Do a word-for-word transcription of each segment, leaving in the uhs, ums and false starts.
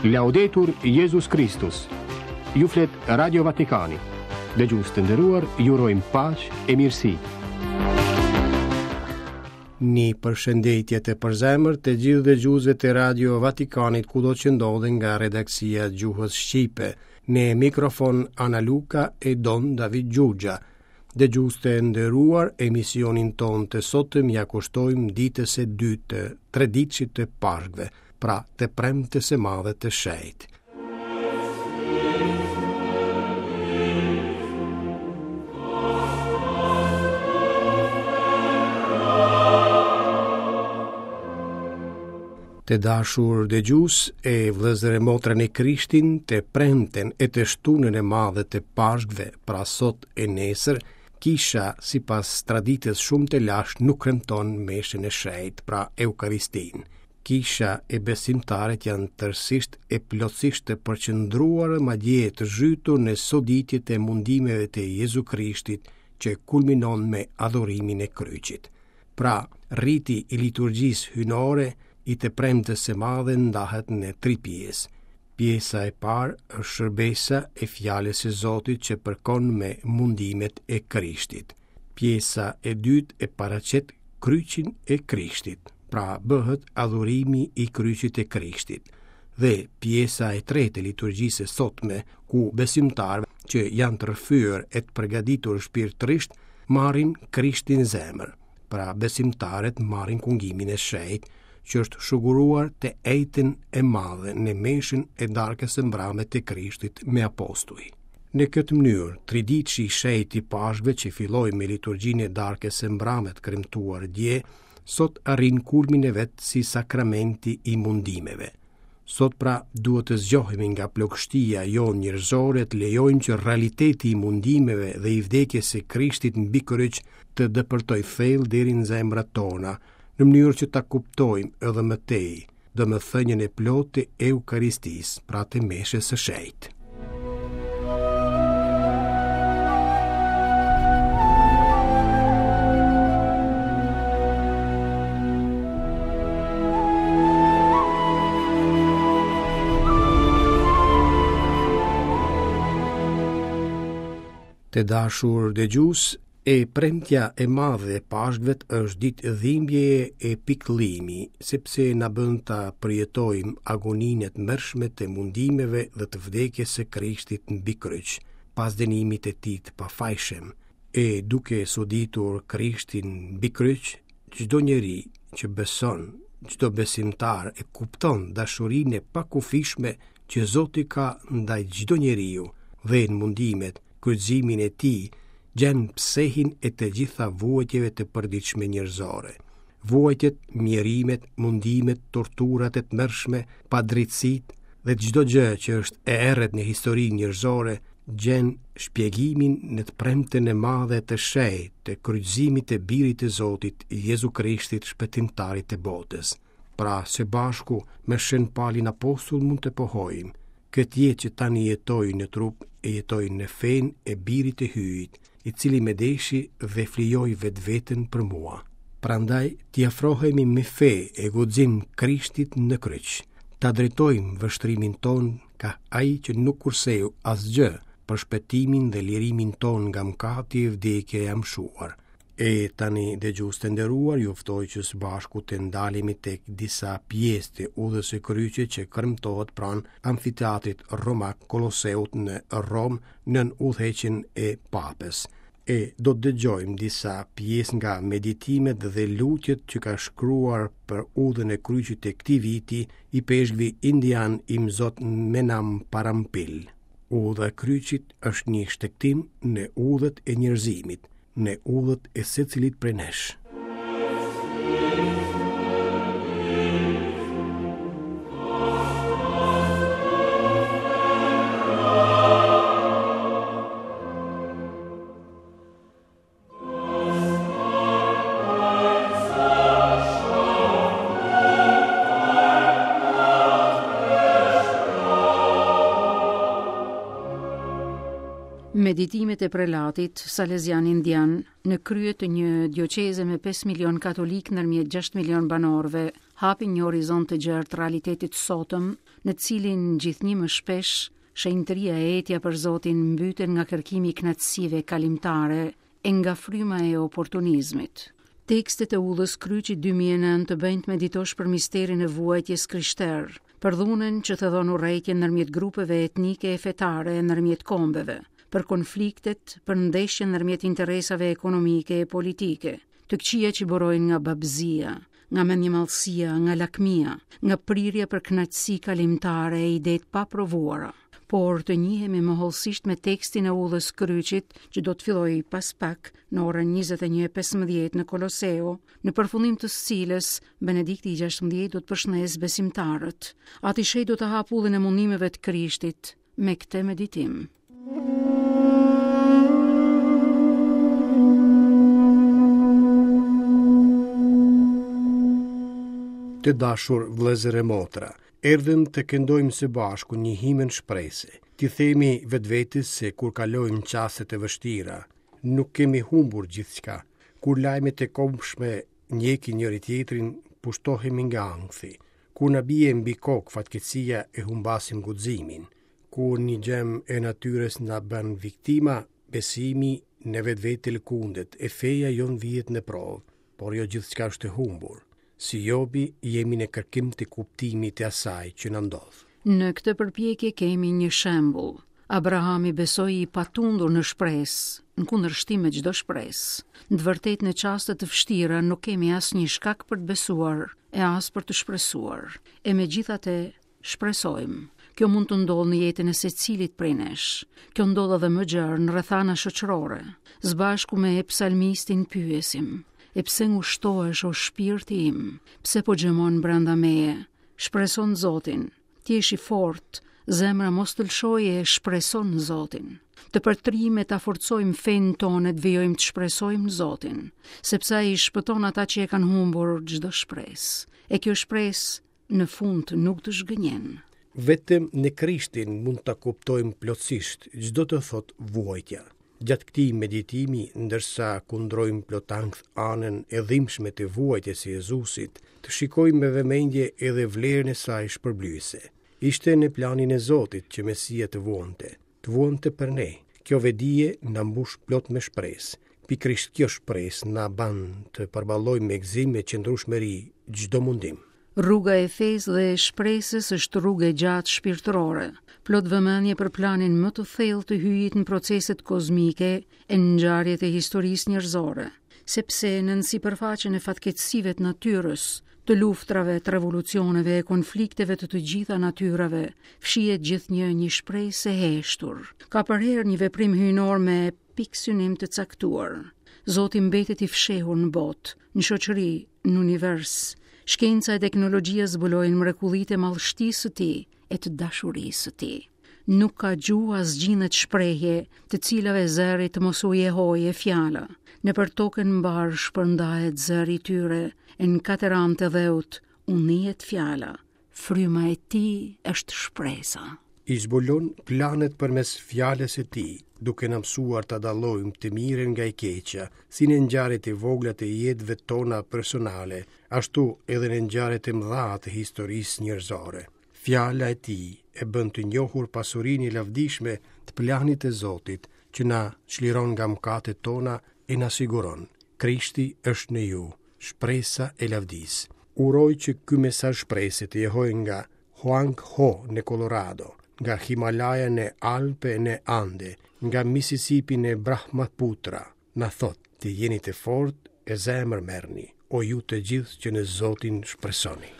Laudetur Jezus Kristus. Ju flet Radio Vatikani. Dëgjues të nderuar, ju urojmë paqe e mirësi. Një përshëndetje të përzemërt të gjithë dëgjuesve të Radio Vatikanit kudo që ndodhen nga redaksia e gjuhës shqipe. Në mikrofon Ana Luka e Don David Gjugja. Dëgjues të nderuar, emisionin tonë të sotëm ja kushtojmë ditës së dytë të treditshit të Pashkëve, pra të premtes së madhe të shenjtë. Të dashur dëgjues e vëllezër e motra në Krishtin, të premten e të shtunën e madhe të Pashkëve, pra sot e nesër, kisha sipas traditës shumë të lashtë nuk kremton meshën e shenjtë, pra Eukaristinë. Kisha e besimtarët janë tërësisht e plotësisht të përqendruar madje të zhytur në soditjet e mundimeve të Jezu Krishtit që kulminon me adhurimin e kryqit. Pra, riti i liturgjisë hyjnore i të premtes së madhe ndahet në tri pjesë. Pjesa e parë është shërbesa e fjalës së Zotit që përkon me mundimet e Krishtit. Pjesa e dytë e paraqet kryqin e Krishtit, pra bëhet adhurimi i kryqit të Krishtit. Dhe pjesa e tretë e liturgjisë së sotme, ku besimtarët që janë të rrëfyer e të përgatitur shpirtërisht marrin Krishtin zemër. Pra besimtarët marrin kungimin e shenjtë, që është shuguruar të enjten e madhe në meshën e darkës së mbrame të Krishtit me apostuj. Në këtë mënyrë, triditshi i shenjtë i Pashkëve që filloi me liturgjinë e darkës së mbrame të kremtuar dje, sot arrin kulmin e vet si sakramenti i mundimeve. Sot pra duhet të zgjohemi nga plogështia jonë njerëzore, të lejojmë që realiteti i mundimeve dhe i vdekjes së Krishtit mbi kryq të depërtojë thellë deri në zemrat tona, në mënyrë që ta kuptojmë edhe më tej, domethënien e plotë të Eukaristisë, pra të meshës së shenjtë. Të dashur dëgjues, e premtja e madhe e Pashkëve është ditë dhimbjeje e pikëllimi, sepse na bën ta përjetojmë agoninë e tmerrshme të mundimeve dhe të vdekjes së Krishtit mbi kryq, pas dënimit të tij të pafajshëm. E duke soditur Krishtin mbi kryq, çdo njeri që beson, çdo besimtar e kupton dashurinë e pakufishme që Zoti ka ndaj çdo njeriu dhe në mundimet, kryqëzimin e tij, gjen psehin e të gjitha vuajtjeve të përditshme njerëzore. Vuajtjet, mjerimet, mundimet, torturat e tmerrshme, padrejtësitë dhe çdo gjë që është e errët në historinë njerëzore gjen shpjegimin në të premten e madhe të shenjtë të kryqëzimit të Birit të Zotit, Jezu Krishtit, shpëtimtarit të botës. Pra, së bashku me Shën Palin Apostull mund të pohojmë, këtë jetë që tani jetoj në trup e jetoj në fenë e Birit të Hyjit, i cili me deshi dhe flijoi vetveten për mua. Prandaj t'i afrohemi me fe e guxim Krishtit në kryq, ta drejtojmë vështrimin ton ka ai që nuk kurseu asgjë për shpëtimin dhe lirimin ton nga mëkati e vdekja e amshuar. E tani, dëgjues të nderuar, ju ftoj që së bashku të ndalemi tek disa pjesë të udhës së kryqit që kremtohet pranë amfiteatrit romak Koloseut në Romë nën udhëheqjen e Papës. E do të dëgjojmë disa pjesë nga meditimet dhe lutjet që ka shkruar për udhën e kryqit të këtij viti i peshkvi indian Imzot Menam Parampil. Udha e kryqit është një shtegtim në udhët e njerëzimit, në udhët e secilit prej nesh. Meditimet e prelatit Salezian Indian në krye të një dioqeze me pesë milion katolik ndërmjet gjashtë milion banorëve hapin një horizont të gjerë të realitetit sotëm, në cilin gjithnjë më shpesh shenjtëria e etja për Zotin mbyten nga kërkimi i kënaqësive kalimtare e nga fryma e oportunizmit. Tekstet e Udhës Kryqit dy mijë e nëntë të bëjnë të meditosh për misterin e vuajtjes krishter, për dhunën që thellon urrejtjen ndërmjet grupeve etnike e fetare e ndërmjet kombeve, për konfliktet, për ndeshjen ndërmjet interesave ekonomike e politike, të këqija që burojnë nga babëzia, nga mendjemadhësia, nga lakmia, nga prirja për kënaqësi kalimtare e ide të paprovuara. Por të njihemi më hollësisht me tekstin e Udhës Kryqit, që do të fillojë pas pak në orën njëzet e një e pesëmbëdhjetë në Koloseo, në përfundim të së cilës Benedikti i gjashtëmbëdhjetë do të përshëndesë besimtarët. Ati Shej do të hapë ullën e mundimeve të Krishtit me këtë meditim. Të dashur vëllezër e motra, erdhëm të këndojmë së bashku një himën shprese. T'i themi vetvetes se kur kalojmë çastet e vështira, nuk kemi humbur gjithçka. Kur lajmet e kobshme ndjekin njëri tjetrin, pushtohemi nga ankthi. Kur na bie mbi kokë fatkeqësia e humbasim guximin. Kur një gjëm e natyrës na bën viktima, besimi në vetvete lëkundet e feja jon vihet në provë, por jo gjithçka është e humbur. Si Jobi, jemi në kërkim të kuptimit të asaj që na ndodh. Në këtë përpjekje kemi një shembull. Abrahami besoi i patundur në shpresë, në kundërshtim me çdo shpresë. Në të vërtetë në çaste të vështira nuk kemi asnjë shkak për të besuar e as për të shpresuar. E megjithatë shpresojmë. Kjo mund të ndodhë në jetën e secilit prej nesh. Kjo ndodh edhe më gjerë në rrethana shoqërore. Zbashku me psalmistin pyesim: e pse ngushtohesh o shpirti im? Pse po gjëmon brenda meje? Shpreson Zotin. Ti je i fortë, zemra mos të lëshojë e shpreson Zotin. Të përtrime ta forcojmë fenë tonë, të vijojmë të shpresojmë në Zotin, sepse ai shpëton ata që e kanë humbur çdo shpresë. E kjo shpresë në fund nuk të zhgënjen. Vetëm në Krishtin mund ta kuptojmë plotësisht çdo të thotë vuajtja. Gjatë këtij meditimi, ndërsa kundrojmë plot ankth anën e dhimbshme të vuajtjes së Jezusit, të shikojmë me vëmendje edhe vlerën e saj shpërblyese. Ishte në planin e Zotit që Mesia të vuante, të vuante për ne. Kjo vedije na mbush plot me shpresë. Pikërisht kjo shpresë na bën të përballojmë me gëzim e qëndrueshmëri çdo mundim. Rruga e fesë dhe e shpresës është rrugë e gjatë shpirtërore, plot vëmendje për planin më të thellë të hyjit në proceset kozmike e në ngjarjet e historisë njerëzore, sepse në sipërfaqen e fatkeqësive të natyrës, të luftrave, të revolucioneve e konflikteve të të gjitha natyrave, fshihet gjithnjë një shpresë e heshtur. Ka përherë një veprim hyjnor me piksynim të caktuar. Zoti mbetet i fshehur në botë, në shoqëri, në univers. Shkenca e teknologjia zbulojnë mrekullitë e madhështisë së tij e të dashurisë së tij. Nuk ka gjuhë as gjinet shprehje, të cilave zëri të mos u jehoje fjala. Në për tokën mbar shpërndahet zëri i tyre, e në katër anë të dheut u nihet fjala. Fryma e tij është shpresa. I zbulon planet përmes fjalës së tij, duke na mësuar ta dallojmë të mirën nga e keqja, si në ngjarjet e vogla të jetëve tona personale, ashtu edhe në ngjarjet e mëdha të historisë njerëzore. Fjala e tij e bën të njohur pasurinë e lavdishme të planit të Zotit, që na çliron nga mëkatet tona e na siguron. Krishti është në ju, shpresa e lavdisë. Uroj që ky mesazh shprese të jehojë nga Huang Ho në Colorado, nga Himalaya në Alpe në Ande, nga Mississippi në Brahmaputra. Na thot, të jeni të fortë e zemër merrni, o ju të gjithë që në Zotin shpresoni.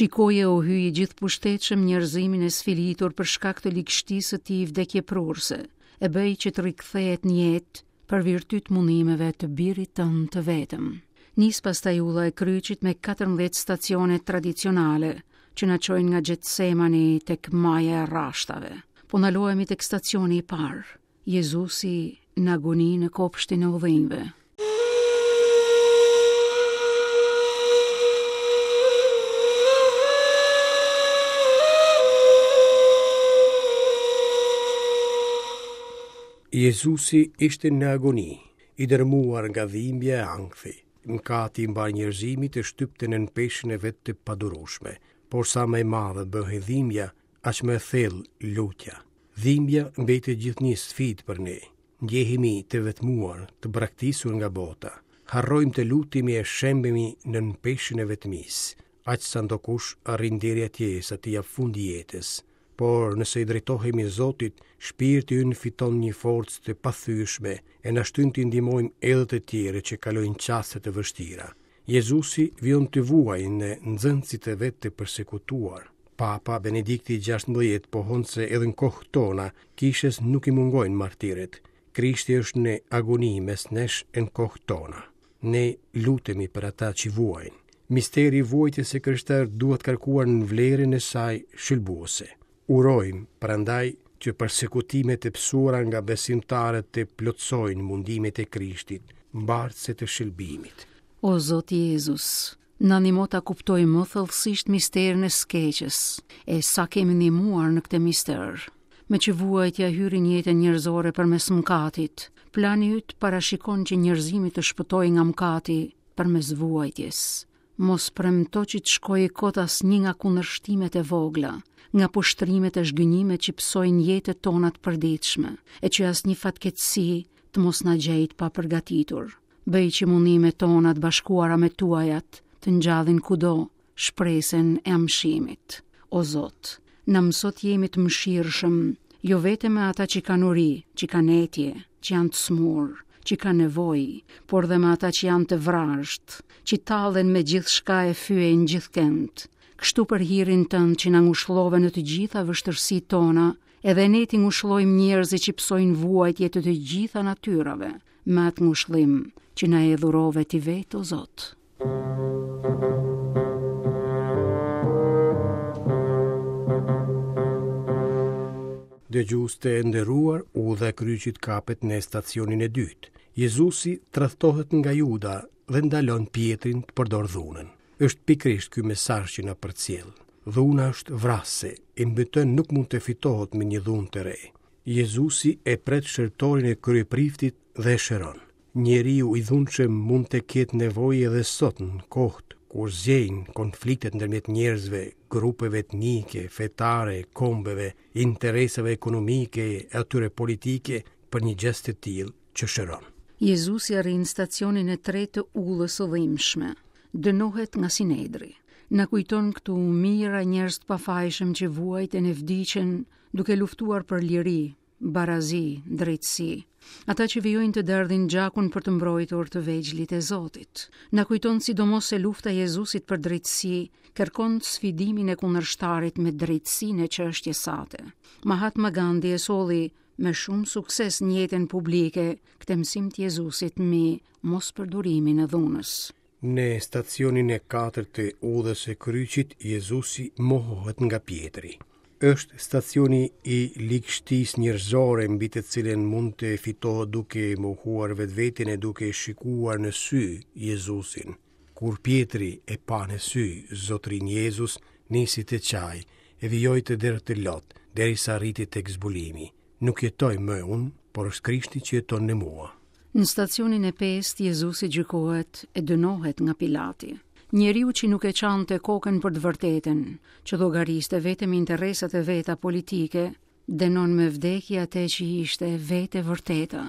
Shikoje o hyji gjithë pushtetshëm njerëzimin e sfilitur për shkak të ligështisë së tij vdekjeprurse, e bëj që të rikthehet në jetë për virtyt mundimeve të birit tënd të vetëm. Nis pastaj udha e kryqit me katërmbëdhjetë stacione tradicionale që na çojnë nga Gjetsemani tek Maja e Rrashtave. Po ndalohemi tek stacioni i parë, Jezusi në agoni në kopshtin e udhinjve. Jezusi ishte në agoni, i dërmuar nga dhimbja e ankthi. Mëkati i mbarë njerëzimit e shtypte nën peshën e vet të padurueshme, por sa më e madhe bëhej dhimbja, aq më e thellë lutja. Dhimbja mbetet gjithnjë sfidë për ne. Ndjehemi të vetmuar, të braktisur nga bota. Harrojmë të lutemi e shembemi nën peshën e vetmisë, aq sa ndokush arrin deri atje sa t'i jap fund jetës. Por nëse i drejtohemi Zotit, shpirti ynë fiton një forcë të pathyeshme e na shtyn të ndihmojmë edhe të tjerë që kalojnë çaste të vështira. Jezusi vijon të vuajë në nxënësit e vet të persekutuar. Papa Benedikti gjashtëmbëdhjetë pohon se edhe në kohë tona kishës nuk i mungojnë martirët. Krishti është në agoni mes nesh e në kohë tona. Ne lutemi për ata që vuajnë. Misteri i vuajtjes së krishterë duhet kërkuar në vlerën e saj shëlbuese. Urojmë, prandaj, që persekutimet e pësuara nga besimtarët të plotësojnë mundimet e Krishtit, mbartëse të shëlbimit. O Zot Jezus, na ndihmo ta kuptojmë më thellësisht misterin e skeqës, e sa kemi ndihmuar në këtë mister. Me që vuajtja hyri në jetën njerëzore përmes mëkatit, plani yt parashikon që njerëzimi të shpëtojë nga mëkati përmes vuajtjes. Mos premto që të shkojë kot asnjë nga kundërshtimet e vogla, nga poshtrimet e zhgënjimet që pësojnë jetët tona të përditshme, e që asnjë fatkeqësi të mos na gjejë pa përgatitur. Bëj që mundimet tona të bashkuara me tuajat të ngjallin kudo shpresën e amshimit. O Zot, na mëso të jemi të mëshirshëm, jo vetëm me ata që kanë uri, që kanë etje, që janë të smur, që kanë nevojë, por dhe me ata që janë të vrazhd, që tallen me gjithçka e fyejnë gjithkënd. Kështu për hirin tënd që na ngushllove në të gjitha vështirësitë tona, edhe ne t'i ngushllojmë njerëzit që pësojnë vuajtje të të gjitha natyrave, me atë ngushllim që na e dhurove ti vetë, o Zot. Dëgjues të nderuar, udha e kryqit kapet në stacionin e dytë. Jezusi tradhtohet nga Juda dhe ndalon Pietrin të përdor dhunën. Është pikërisht ky mesazh që na përcjell. Dhuna është vrasëse, e mbi të nuk mund të fitohet me një dhunë të re. Jezusi e pret shërtorin e kryepriftit dhe e shëron. Njeriu i dhunshëm mund të ketë nevojë edhe sot në kohët kur zgjejnë konfliktet ndërmjet njerëzve, grupeve etnike, fetare, kombeve, interesave ekonomike e atyre politike për një gjest të tillë që shëron. Jezusi arrin stacionin e tretë të ullës së dhimbshme. Dënohet nga Sinedri. Na kujton këtu mijëra njerëz të pafajshëm që vuajtën e vdiqën duke luftuar për liri, barazi, drejtësi. Ata që vijojnë të derdhin gjakun për të mbrojtur të vegjlit e Zotit. Na kujton sidomos se lufta e Jezusit për drejtësi kërkon sfidimin e kundërshtarit me drejtësinë e çështjes sate. Mahatma Gandhi e solli me shumë sukses në jetën publike këtë mësim të Jezusit mbi mospërdorimin e dhunës. Në stacionin e katërt të udhës së kryqit, Jezusi mohohet nga Pietri. Është stacioni i ligështisë njerëzore mbi të cilën mund të fitohet duke mohuar vetveten e duke shikuar në sy Jezusin. Kur Pietri e pa në sy Zotrin Jezus, nisi të qaj e vijoi të derdhte lot, derisa arriti tek zbulimi. Nuk jetoj më unë, por është Krishti që jeton në mua. Në stacionin e pestë, Jezusi gjykohet e dënohet nga Pilati. Njeriu që nuk e çante kokën për të vërtetën, që llogariste vetëm interesat e veta politike, dënon me vdekje atë që ishte vetë e vërteta.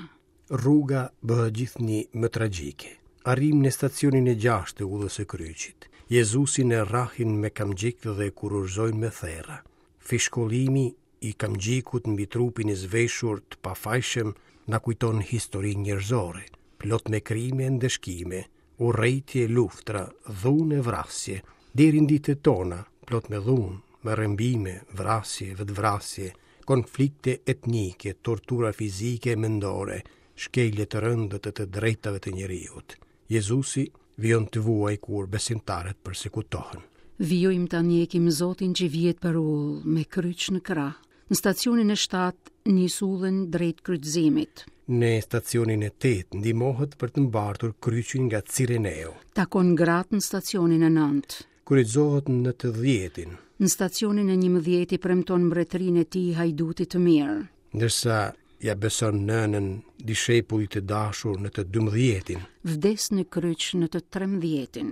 Rruga bëhet gjithnjë më tragjike. Arrim në stacionin e gjashtë të udhës së kryqit. Jezusin e rrahin me kamxhik dhe e kururzojnë me therra. Fishkollimi i kamxhikut mbi trupin e zveshur të pafajshëm na kujton historinë njerëzore, plot me krime e ndëshkime, urrejtje e luftra, dhunë e vrasje, deri në ditët tona, plot me dhunë, me rrëmbime, vrasje, vetvrasje, konflikte etnike, tortura fizike e mendore, shkelje të rënda të të drejtave të njeriut. Jezusi Vijon të vuajë kur besimtarët persekutohen. Vijojmë ta ndjekim Zotin që vihet për ullë me kryq në krah. Në stacionin e shtatë nis udhën drejt kryqëzimit. Në stacionin e tetë ndihmohet për të mbartur kryqin nga Cireneu. Takon gratë në stacionin e nëntë. Kryqëzohet në të dhjetin. Në stacionin e njëmbëdhjetë i premton mbretërinë e tij hajdutit të mirë. Ndërsa ja beson nënën dishepullit të dashur në të dymbëdhjetin. Vdes në kryq në të trembëdhjetin.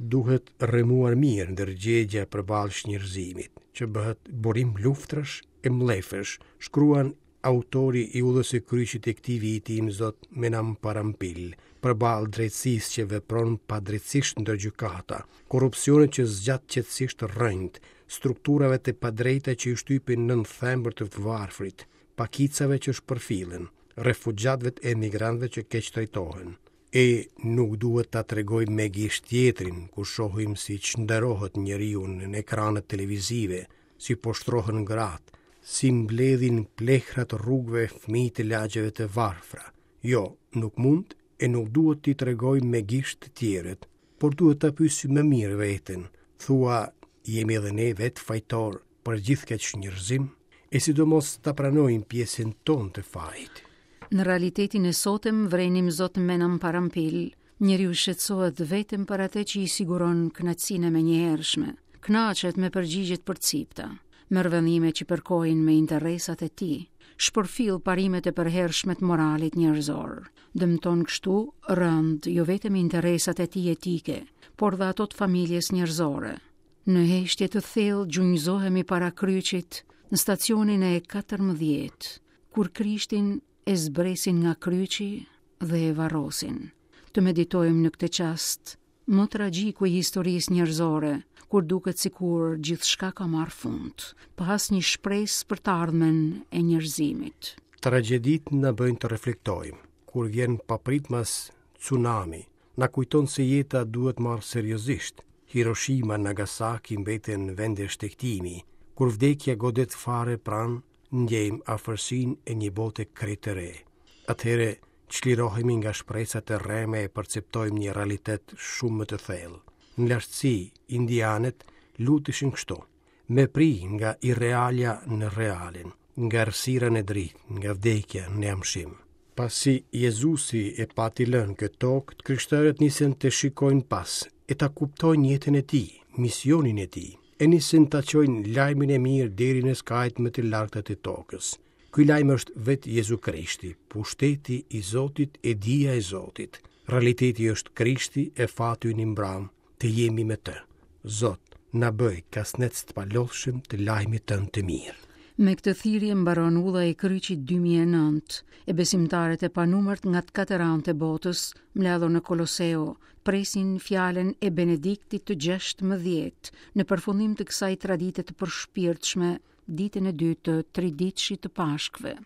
Duhet rrëmuar mirë ndërgjegja përballë çnjerëzimit, që bëhet burim luftrash e mllefesh, shkruan autori i udhës së kryqit të këtij viti Imzot Menamparampil, përballë drejtësisë që vepron padrejtësisht ndër gjykata, korrupsionit që zgjat qetësisht rrënjët, strukturave të padrejta që i shtypin nën thembër të varfrit, pakicave që shpërfillen, refugjatëve e emigrantëve që keqtrajtohen. E nuk duhet ta tregojmë me gisht tjetrin, kur shohim si çnderohet njeriu në ekranet televizive, si poshtrohen gratë, si mbledhin plehrat rrugëve fëmijët e lagjeve të varfra. Jo, nuk mund e nuk duhet t'i tregojmë me gisht të tjerët, por duhet ta pyesim më mirë veten. Thua, jemi edhe ne vetë fajtor për gjithë këtë çnjerëzim, e sidomos ta pranojmë pjesën tonë të fajit. Në realitetin e sotëm vrenim Zot Menamparampil, njeriu shqetësohet vetëm për atë që i siguron kënaqësinë e menjëhershme, kënaqet me përgjigjet përcipta, merr vendime që përkojnë me interesat e tij, shpërfill parimet e përhershme të moralit njerëzor, dëmton kështu rënd jo vetëm interesat e tij etike, por dhe ato të familjes njerëzore. Në heshtje të thellë gjunjëzohemi para kryqit në stacionin e katërmbëdhjetë, kur Krishtin e zbresin nga kryqi dhe e varrosin. Të meditojmë në këtë çast, më tragjiku i historisë njerëzore, kur duket sikur gjithçka ka marrë fund, pa asnjë shpresë për të ardhmen e njerëzimit. Tragjeditë na bëjnë të reflektojmë. Kur vjen papritmas tsunami, na kujton se jeta duhet marrë seriozisht. Hiroshima, Nagasaki mbeten vende shtegtimi. Kur vdekja godet fare pranë, ndjejmë afërsinë e një bote krejt të re. Atëherë çlirohemi nga shpresat e rreme e perceptojmë një realitet shumë më të thellë. Në lartësi, indianët luteshin kështu: me pri nga irrealja në realin, nga errësira në dritë, nga vdekja në amshim. Pasi Jezusi e pati lënë këtë tokë, të krishterët nisën të shikojnë pas e ta kuptojnë jetën e tij, misionin e tij, e nisën ta çojnë lajmin e mirë deri në skajt më të largëta të tokës. Ky lajm është vetë Jezu Krishti, pushteti i Zotit e dija e Zotit. Realiteti është Krishti e fati ynë i mbram, të jemi me të. Zot, na bëj kasnec të palodhshëm të lajmit tënd të mirë. Me këtë thirrje mbaron udha e kryqit dy mijë e nëntë, e besimtarët e panumërt nga të katër anët e botës, mbledhur në Koloseo, presin fjalën e Benediktit të gjashtëmbëdhjetë në përfundim të kësaj tradite të përshpirtshme, ditën e dytë të triditshit të Pashkëve.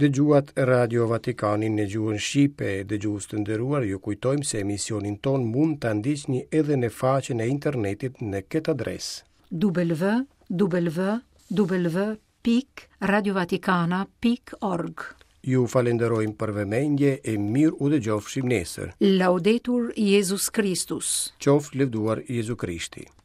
Dëgjuat Radio Vatikanin në gjuhën shqipe. Dëgjues të nderuar, ju kujtojmë se emisionin ton mund ta ndiqni edhe në faqen e internetit në këtë adresë: w w w pikë radiovatikana pikë org. Ju falenderojmë për vëmendje e mirë u dëgjofshim nesër. Laudetur Jezus Kristus. Qoftë lëvduar Jezu Krishti.